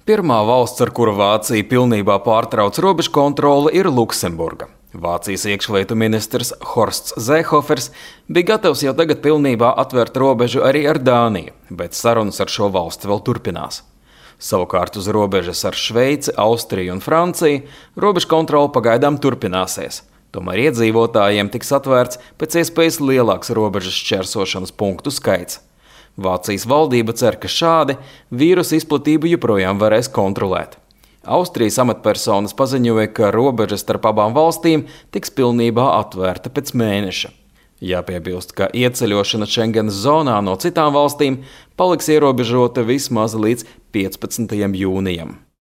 Pirmā valsts, ar kuru Vācija pilnībā pārtrauc robežu kontroli, ir Luksemburga. Vācijas iekšlietu ministrs Horsts Zēhofers bija gatavs jau tagad pilnībā atvērt robežu arī ar Dāniju, bet sarunas ar šo valsti vēl turpinās. Savukārt uz robežas ar Šveici, Austriju un Franciju robežu kontrole pagaidām turpināsies. Tomēr iedzīvotājiem tiks atvērts pēc iespējas lielāks robežas šķērsošanas punktu skaits. Vācijas valdība cer, ka šādi vīrusa izplatību joprojām varēs kontrolēt. Austrijas amatpersonas paziņoja, ka robeža starp abām valstīm tiks pilnībā atvērta pēc mēneša. Jāpiebilst, ka ieceļošana Schengenas zonā no citām valstīm paliks ierobežota vismaz līdz 15. jūnijam.